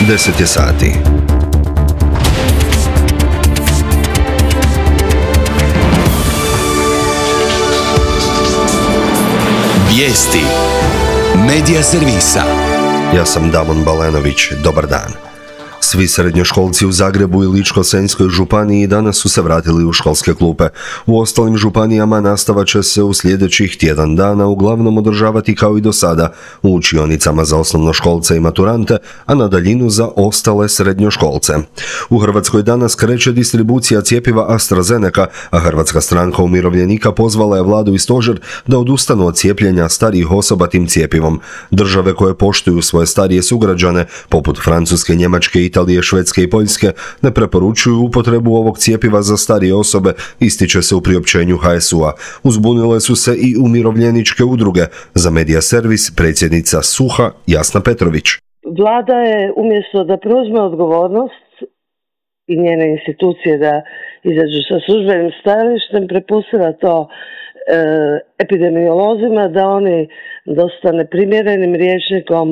10 je sati. Vijesti Medija servisa. Ja sam Damon Balenović, dobar dan. Svi srednjoškolci u Zagrebu i Ličko-senjskoj županiji danas su se vratili u školske klupe. U ostalim županijama nastava će se u sljedećih tjedan dana uglavnom održavati kao i do sada u učionicama za osnovnoškolce i maturante, a na daljinu za ostale srednjoškolce. U Hrvatskoj danas kreće distribucija cjepiva AstraZeneca, a Hrvatska stranka umirovljenika pozvala je vladu i stožer da odustanu od cijepljenja starijih osoba tim cjepivom. Države koje poštuju svoje starije sugrađane, poput Francuske, Njemačke, Italije, Švedske i Poljske, ne preporučuju upotrebu ovog cjepiva za starije osobe, ističe se u priopćenju HSU-a. Uzbunile su se i umirovljeničke udruge. Za Medija servis predsjednica SUHA Jasna Petrović. Vlada je umjesto da preuzme odgovornost i njene institucije da izađu sa službenim stajalištem, prepustila to epidemiolozima da oni dosta neprimjerenim rječnikom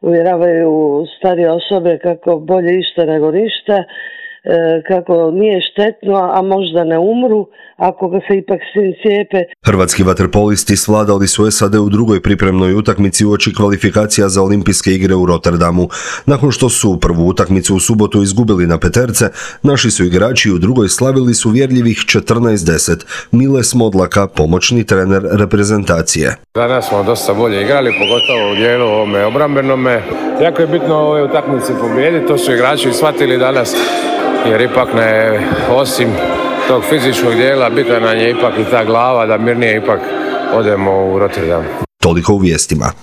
uvjeravaju starije osobe kako bolje išta nego ništa, kako nije štetno, a možda ne umru ako ga se ipak svi cijepe. Hrvatski vaterpolisti svladali su SAD u drugoj pripremnoj utakmici uoči kvalifikacija za olimpijske igre u Rotterdamu. Nakon što su prvu utakmicu u subotu izgubili na peterce, naši su igrači u drugoj slavili su uvjerljivih 14-10. Mile Smodlaka, pomoćni trener reprezentacije. Danas smo dosta bolje igrali, pogotovo u dijelu ovome obrambenome. Jako je bitno ove utakmice pobijediti, to su igrači shvatili danas, jer ipak ne, osim tog fizičkog dijela, bitna nam je ipak i ta glava da mirnije ipak odemo u Rotterdam. Toliko u vijestima.